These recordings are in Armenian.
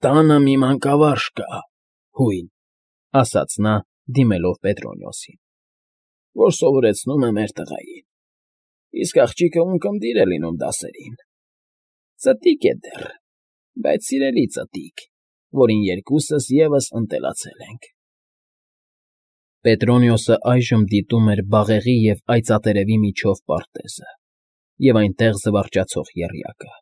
Տանը մի մանկավարժ կա, հույն, ֊ ասաց նա, դիմելով Պետրոնիոսին, ֊ որ սովորեցնում է մեր տղային, իսկ աղջիկը ունկնդիր է լինում դասերին. ծտիկ է դեռ, բայց սիրելի ծտիկ, որին երկուսս ևս ընտելացել ենք։ Պետրոնիոսը այժմ դիտում էր բաղեղի և այծատերևի միջով պարտեզը և այնտեղ զվարճացող եռյակը։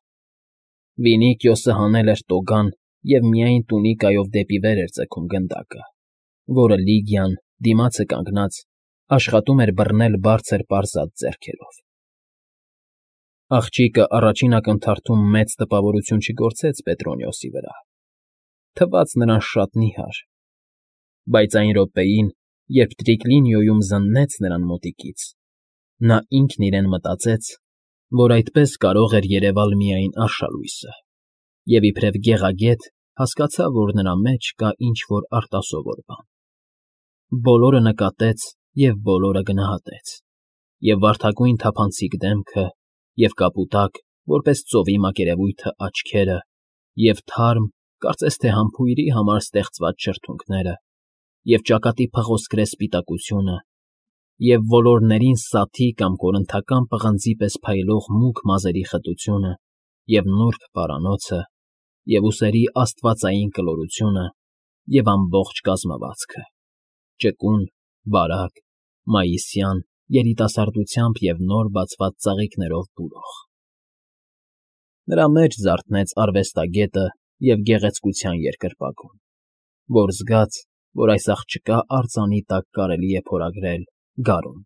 Վինիքիոսը հանել էր տոգան և միայն տունիկայով դեպի վեր էր ձգում գնդակը, որը Լիգիան, դիմացը կանգնած, աշխատում էր բռնել բարձր պարզած ձեռքերով։ Աղջիկը առաջին ակնթարթում մեծ տպավորություն չգործեց Պետրոնիոսի վրա, թվաց նրան շատ նիհար, բայց այն րոպեին, երբ տրիկլինիոյում զննեց նրան մոտիկից, նա ինքն իրեն մտածեց, որ այդպես կարող էր երևալ միայն արշալույսը, և իբրև գեղագետ հասկացավ, որ նրա մեջ կա ինչ֊որ արտասովոր բան։ Բոլորը նկատեց և բոլորը գնահատեց, և վարդագույն թափանցիկ դեմքը, և կապուտակ, որպես ծովի մակերևույթը աչքերը, և թարմ, կարծես թե համբույրի համար ստեղծված շրթունքները, և ճակատի փղոսկրե սպիտակությունը, և ոլորներին սաթի կամ կորնթական պղնձի պես փայլող մուգ մազերի խտությունը, և նուրբ պարանոցը, և ուսերի աստվածային կլորությունը, և ամբողջ կազմվածքը՝ ճկուն, բարակ, մայիսյան, երիտասարդությամբ և նոր բացված ծաղիկներով բուրող։ Նրա մեջ զարթնեց արվեստագետը և գեղեցկության երկրպագուն, որ զգաց, որ այս աղջկա արձանի տակ կարելի է փորագրել գարուն։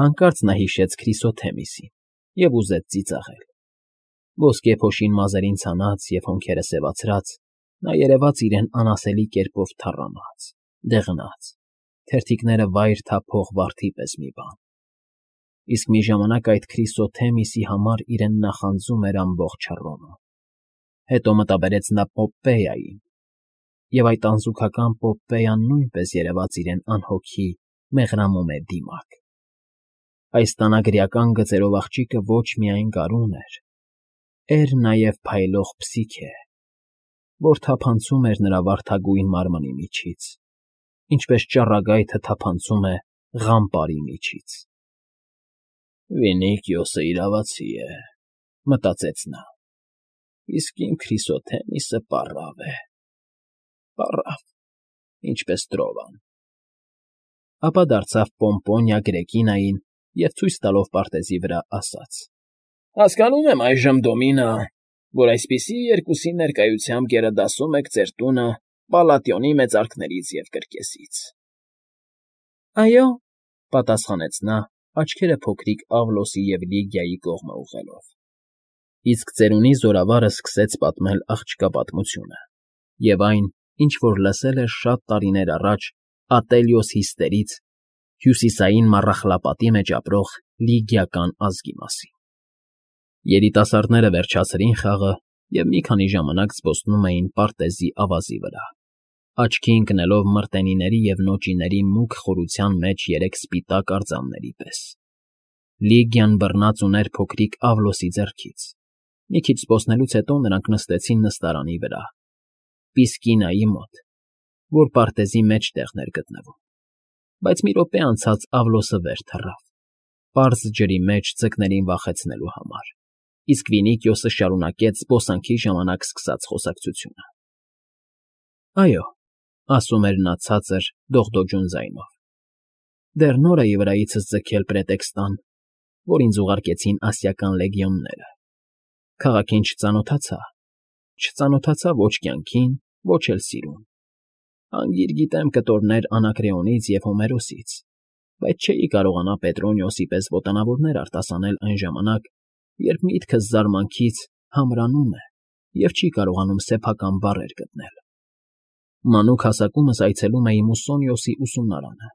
Հանկարծ նա հիշեց Քրիսոթեմիսին և ուզեց ծիծաղել։ Ոսկե փոշին մազերին ցանած և հոնքերը սևացրած, նա երևաց իրեն անասելի կերպով թառամած, դեղնած, թերթիկները վայր թափող վարդի պես մի բան, իսկ մի ժամանակ այդ Քրիսոթեմիսի համար իրեն նախանձում էր ամբողջ Հռոմը։ Հետո մտաբերեց նա Պոպպեյային, և այդ անզուգական Պոպպեյան նույնպես երևաց իրեն անհոգի, մեղրամոմե դիմակ։ Այս տանագրական գծերով աղջիկը ոչ միայն գարուն էր նաև փայլող փսիքե, որ թափանցում էր նրա վարդագույն մարմնի միջից, ինչպես ճառագայթը թափանցում է ղամ պարի միջից։ «Վինիքիոսը իրավացի է», ֊ մտածեց նա, «իսկ իմ Քրիսոթեմիսը պառավ է, պառավ, ինչպես Տրովան»։ Ապա դարձավ Պոմպոնիա Գրեկինային և ցույց տալով պարտեզի վրա ասաց. «Հասկանում եմ այժմ, Դոմինա, որ այսպիսի երկուսի ներկայությամբ գերադասում եք ձեր տունը Պալատիոնի մեծարքներից և կրկեսից»։ «Այո», ֊ պատասխանեց նա, աչքերը փոքրիկ Ավլոսի և Լիգիայի կողմը ուղղելով։ Իսկ ծերունի զորավարը սկսեց պատմել աղջկա պատմությունը և այն, ինչ որ լսել էր շատ տարիներ առաջ Ատելիոս Հիստերից, հյուսիսային Մառախլապատի մեջ ապրող լիգիական ազգի մասին։ Երիտասարդները վերջացրին խաղը և մի քանի ժամանակ զբոսնում էին պարտեզի ավազի վրա, աչքի ընկնելով մրտենիների և նոճիների մուգ խորության մեջ երեք սպիտակ արձանների պես։ Լիգիան բռնած ուներ փոքրիկ Ավլոսի ձեռքից։ Մի քիչ զբոսնելուց հետո նրանք նստեցին նստարանի վրա, Պիսկինայի մոտ, որ պարտեզի մեջտեղն էր գտնվում, բայց մի րոպե անցած Ավլոսը վեր թռավ, պարզ ջրի մեջ ձկներին վախեցնելու համար, իսկ Վինիքիոսը շարունակեց զբոսանքի ժամանակ սկսած խոսակցությունը։ «Այո», ֊ ասում էր նա ցածր, դողդոջուն ձայնով, «դեռ նոր էի վրայիցս ձգել պրետեքստան, որ ինձ ուղարկեցին ասիական լեգիոնները։ Քաղաքին չծանոթացա ոչ կյանքին, ոչ էլ սիրուն։ Անգիր գիտեմ կտորներ Անակրեոնից և Հոմերոսից, բայց չէի կարողանա Պետրոնիոսի պես ոտանավորներ արտասանել այն ժամանակ, երբ միտքս զարմանքից համրանում է և չի կարողանում սեփական բառեր գտնել։ Մանուկ հասակումս այցելում էի Մուսոնիոսի ուսումնարանը,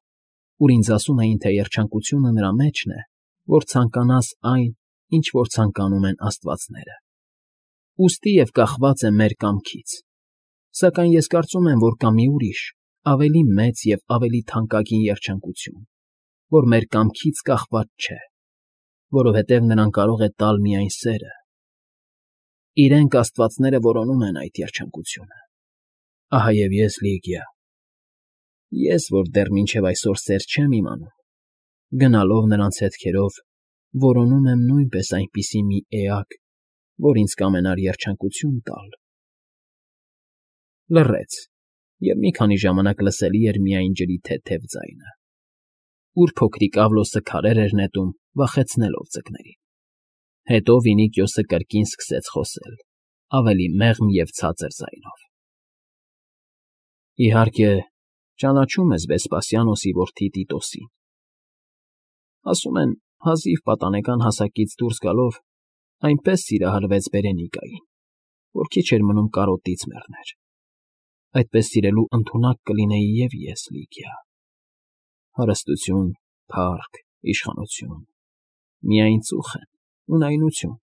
ուր ինձ ասում էին, թե երջանկությունը նրա մեջն է, որ ցանկանաս այն, ինչ որ ցանկանում են աստվածները։ Ուստի և կախված է մեր կամքից, սակայն ես կարծում եմ, որ կա մի ուրիշ, ավելի մեծ և ավելի թանկագին երջանկություն, որ մեր կամքից կախված չէ, որովհետև նրան կարող է տալ միայն սերը։ իրենք աստվածները որոնում են այդ երջանկությունը։ Ահա և ես, Լիգիա, ես, որ դեռ մինչև այսօր սեր չեմ իմանում, գնալով նրանց հետքերով, որոնում եմ նույնպես այնպիսի մի էակ, որ ինձ կամենար երջանկություն տալ։ Լռեց, և մի քանի ժամանակ լսելի էր միայն ջրի թեթև ձայնը, ուր փոքրիկ Ավլոսը քարեր էր նետում, վախեցնելով ձկներին։ Հետո Վինիքիոսը կրկին սկսեց խոսել, ավելի մեղմ և ցածր ձայնով. Իհարկե, ճանաչում ես Վեսպասիանոսի որդի Տիտոսին։ Ասում են, հազիվ պատանեկան հասակից դուրս գալով, այնպես սիրահարվեց Բերենիկային, որ քիչ էր մնում կարոտից մեռներ։ Այդպես սիրելու ընդունակ կլինեի և ես, Լիգիա։ Հարստություն, փառք, իշխանություն, միայն ծուխ են, ունայնություն։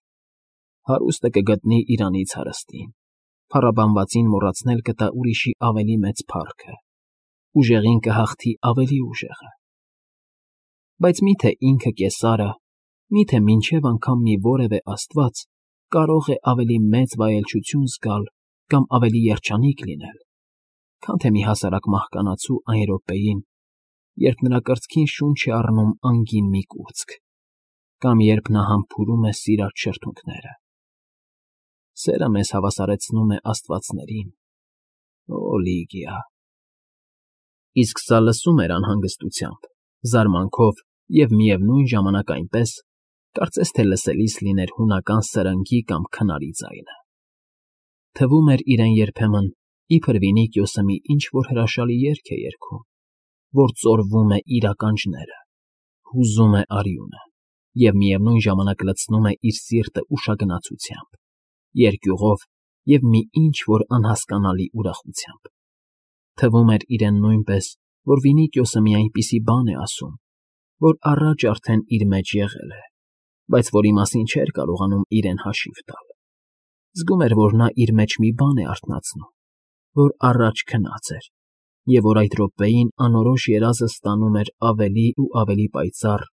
Հարուստը կգտնի իրանից հարստին, փառաբանվածին մոռացնել կտա ուրիշի ավելի մեծ փառքը, ուժեղին կհաղթի ավելի ուժեղը։ Բայց մի՞թե ինքը Կեսարը, մի՞թե մինչև անգամ մի որևէ աստված կարող է ավելի մեծ վայելչություն զգալ կամ ավելի երջանիկ լինել, քան թե մի հասարակ մահկանացու այն րոպեին, երբ նրա կրծքին շունչ է առնում անգին մի կուրծք, կամ երբ նա համբուրում է սիրած շրթունքները։ Սերը մեզ հավասարեցնում է աստվածներին, օ Լիգիա։ Իսկ սա լսում էր անհանգստությամբ, զարմանքով և միևնույն ժամանակ այնպես, կարծես թե լսելիս լիներ հունական սրնգի կամ քնարի ձայնը։ Թվում էր իրեն երբեմն, իբր Վինիքիոսը մի ինչ֊որ հրաշալի երգ է երգում, որ ծորվում է իր ականջները, հուզում է արյունը և միևնույն ժամանակ լցնում է իր սիրտը ուշագնացությամբ, երկյուղով և մի ինչ֊որ անհասկանալի ուրախությամբ։ Թվում էր իրեն նույնպես, որ Վինիքիոսը մի այնպիսի բան է ասում, որ առաջ արդեն իր մեջ եղել է, բայց որի մասին չէր կարողանում իրեն հաշիվ տալ։ Զգում էր, որ նա իր մեջ մի բան է արթնացնում, որ առաջ քնած էր, և որ այդ րոպեին անորոշ երազը ստանում էր ավելի ու ավելի պայծառ,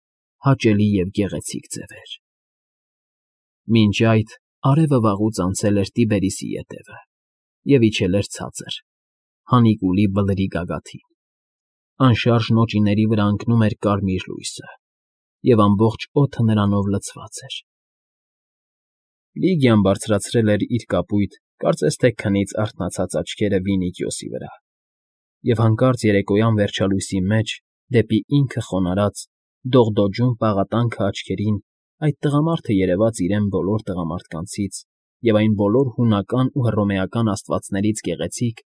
հաճելի և գեղեցիկ ձևեր։ Մինչ այդ արևը վաղուց անցել էր Տիբերիսի ետևը և իջել էր ցածր, հանիկուլի բլրի գագաթին։ Անշարժ նոճիների վրա ընկնում էր կարմիր լույսը, և ամբողջ օդը նրանով լցված էր։ Լիգիան բարձրացրել էր իր կապույտ, կարծես թե քնից արթնացած աչքերը Վինիքիոսի վրա, և հանկարծ երեկոյան վերջալույսի մեջ, դեպի ինքը խոնարհած, դողդոջուն պաղատանքը աչքերին այդ տղամարդը երևաց իրեն բոլոր տղամարդկանցից և այն բոլոր հունական ու հռոմեական աստվածներից գեղեցիկ,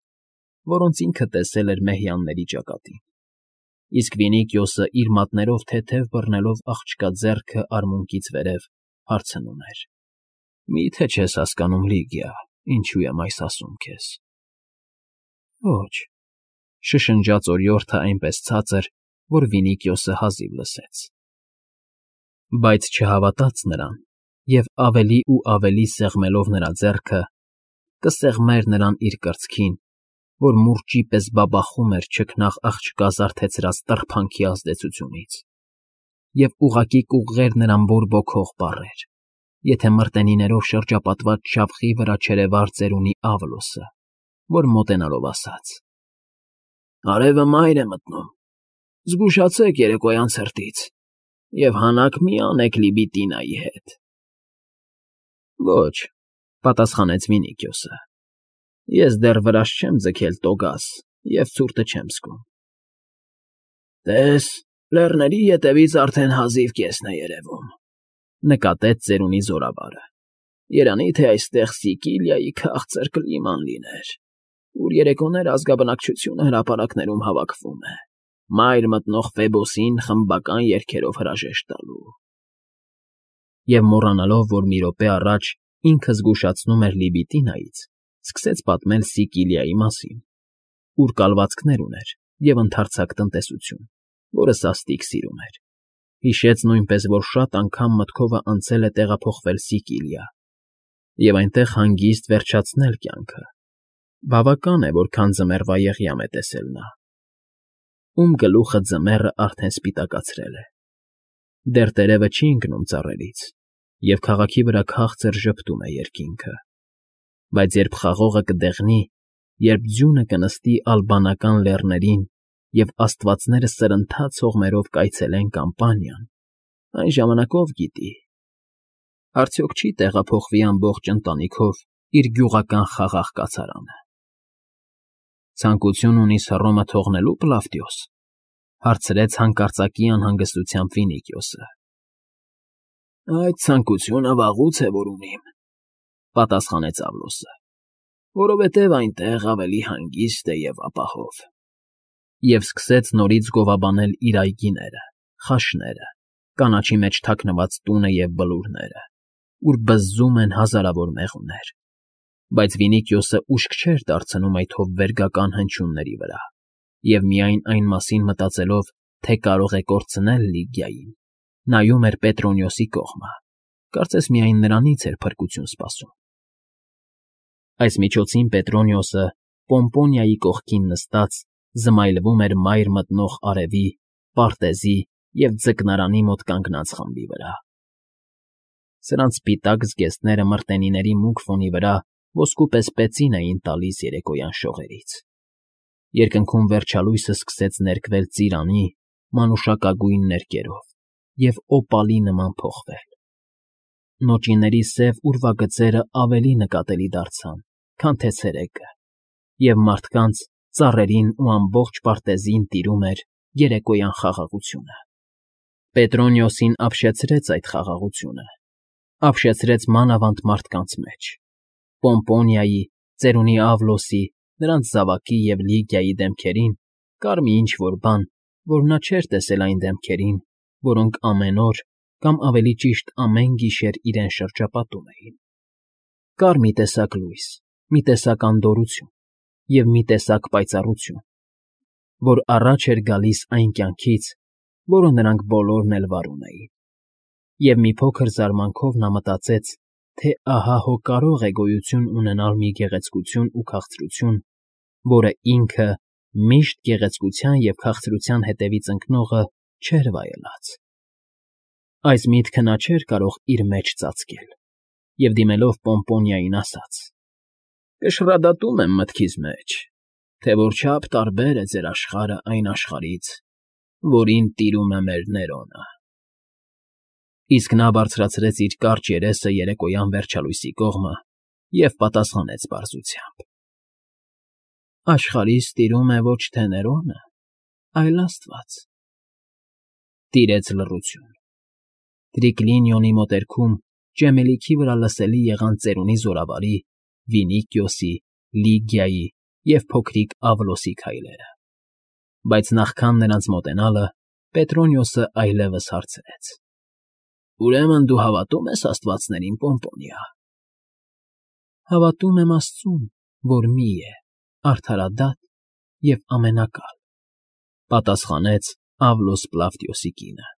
որոնց ինքը տեսել էր մեհյանների ճակատին։ Իսկ Վինիքիոսը իր մատներով թեթև բռնելով աղջկա ձեռքը արմունկից վերև, հարցնում էր. Մի՞թե չես հասկանում, Լիգիա, ինչու եմ այս ասում քեզ։ Ոչ, շշնջաց օրիորդը այնպես ցածր, որ Վինիքիոսը հազիվ լսեց։ Բայց չհավատաց նրան և ավելի ու ավելի սեղմելով նրա ձեռքը, կսեղմեր նրան իր կրծքին, որ մուրճի պես բաբախում էր չքնաղ աղջկա զարթեցրած տրփանքի ազդեցությունից, և ուղղակի կուղղեր նրան բորբոքող բառեր, եթե մրտենիներով շրջապատված շավխի վրա չերևար ծերունի Ավլոսը, որ մոտենալով ասաց. Արևը մայր է մտնում, զգուշացեք երեկոյան ցրտից և հանաք մի անեք Լիբիտինայի հետ։ Ոչ, պատասխանեց Վինիքիոսը, ես դեռ վրաս չեմ ձգել տոգազ և ցուրտը չեմ զգում։ Տես, լեռների ետևից արդեն հազիվ կեսն է երևում, նկատեց ծերունի զորավարը։ Երանի թե այստեղ Սիկիլիայի քաղցր կլիման լիներ, ուր երեկոներ ազգաբնակչությունը հրապարակներում հավաքվում է, մայր մտնող Ֆեբոսին խմբական երգերով հրաժեշտ տալու։ Եվ մոռանալով, որ մի րոպե առաջ ինքը զգուշացնում էր Լիբիտինայից, սկսեց պատմել Սիկիլիայի մասին, ուր կալվածքներ ուներ և ընդարձակ տնտեսություն, որը սաստիկ սիրում էր։ Հիշեց նույնպես, որ շատ անգամ մտքովը անցել է տեղափոխվել Սիկիլիա և այնտեղ հանգիստ վերջացնել կյանքը։ Բավական է, որքան ձմեռվա եղյամ է տեսել նա, ում գլուխը ձմեռը արդեն սպիտակացրել է։ Դեռ տերևը չի ընկնում ծառերից, և քաղաքի վրա քաղցր ժպտում է երկինքը։ Բայց երբ խաղողը կդեղնի, երբ ձյունը կնստի ալբանական լեռներին և աստվածները սրընթաց հողմերով կայցելեն Կամպանիան, այն ժամանակ ով գիտի, արդյոք չի տեղափոխվի ամբողջ ընտանիքով իր գյուղական խաղաղ կացարանը։ ֊ Ցանկություն ունի՞ս Հռոմը թողնելու, Պլավդիոս,֊ հարցրեց հանկարծակի անհանգստությամբ Վինիքիոսը։ ֊ Այդ ցանկությունը վաղուց է որ ունիմ,֊ պատասխանեց Ավլոսը,֊ որովհետև այնտեղ ավելի հանգիստ է և ապահով։ Եվ սկսեց նորից գովաբանել իր այգիները, խաշները, կանաչի մեջ թաքնված տունը և բլուրները, ուր բզզում են հազարավոր մեղուներ։ Բայց Վինիքիոսը ուշք չէր դարձնում այդ հովվերգական հնչյունների վրա և միայն այն մասին մտածելով, թե կարող է կորցնել Լիգիային, նայում էր Պետրոնիոսի կողմը, կարծես միայն նրանից էր փրկություն սպասում։ Այս միջոցին Պետրոնիոսը, Պոմպոնիայի կողքին նստած, զմայլվում էր մայր մտնող արևի, պարտեզի և ձկնարանի մոտ կանգնած խմբի վրա։ Սրանց սպիտակ զգեստները մրտենիների մուգ ֆոնի վրա ոսկու պես պեցին էին տալիս երեկոյան շողերից։ Երկնքում վերջալույսը սկսեց ներկվել ծիրանի, մանուշակագույն ներկերով և օպալի նման փոխվել։ Նոճիների սև ուրվագծերը ավելի նկատելի դարձան, քան թե ցերեկը, և մարդկանց, ծառերին ու ամբողջ պարտեզին տիրում էր երեկոյան խաղաղությունը։ Պետրոնիոսին ապշեցրեց այդ խաղաղությունը, ապշեցրեց մանավանդ մարդկանց մեջ։ Պոմպոնիայի, ծերունի Ավլոսի, նրանց զավակի և Լիգիայի դեմքերին կար մի ինչ֊որ բան, որ նա չէր տեսել այն դեմքերին, որոնք ամեն օր, կամ ավելի ճիշտ ամեն գիշեր իրեն շրջապատում էին։ Կար մի տեսակ լույս, մի տեսակ անդորրություն և մի տեսակ պայծառություն, որ առաջ էր գալիս այն կյանքից, որը նրանք բոլորն էլ վարում էին։ Եվ մի փոքր զարմանքով նա մտածեց, թե ահա հո կարող է գոյություն ունենալ մի գեղեցկություն ու քաղցրություն, որը ինքը՝ միշտ գեղեցկության և քաղցրության հետևից ընկնողը, չէր վայելած։ Այս միտքը նա չէր կարող իր մեջ ծածկել և, դիմելով Պոմպոնիային, ասաց. «Կշռադատում եմ մտքիս մեջ, թե որչափ տարբեր է ձեր աշխարհը այն աշխարհից, որին տիրում է մեր Ներոնը»։ Իսկ նա բարձրացրեց իր կարճ երեսը երեկոյան վերջալույսի կողմը և պատասխանեց պարզությամբ. «Աշխարհիս տիրում է ոչ թե Ներոնը, այլ աստված»։ Տիրեց լռություն։ Տրիկլինիոնի մոտերքում ճեմելիքի վրա լսելի եղան ծերունի զորավարի, Վինիքիոսի, Լիգիայի և փոքրիկ Ավլոսի քայլերը։ Բայց նախքան նրանց մոտենալը, Պետրոնիոսը այլևս հարցրեց. «Ուրեմն դու հավատո՞ւմ ես աստվածներին, Պոմպոնիա»։ «Հավատում եմ Աստծուն, որ մի է, արդարադատ և ամենակալ», պատասխանեց Ավլոս Պլավդիոսի կինը։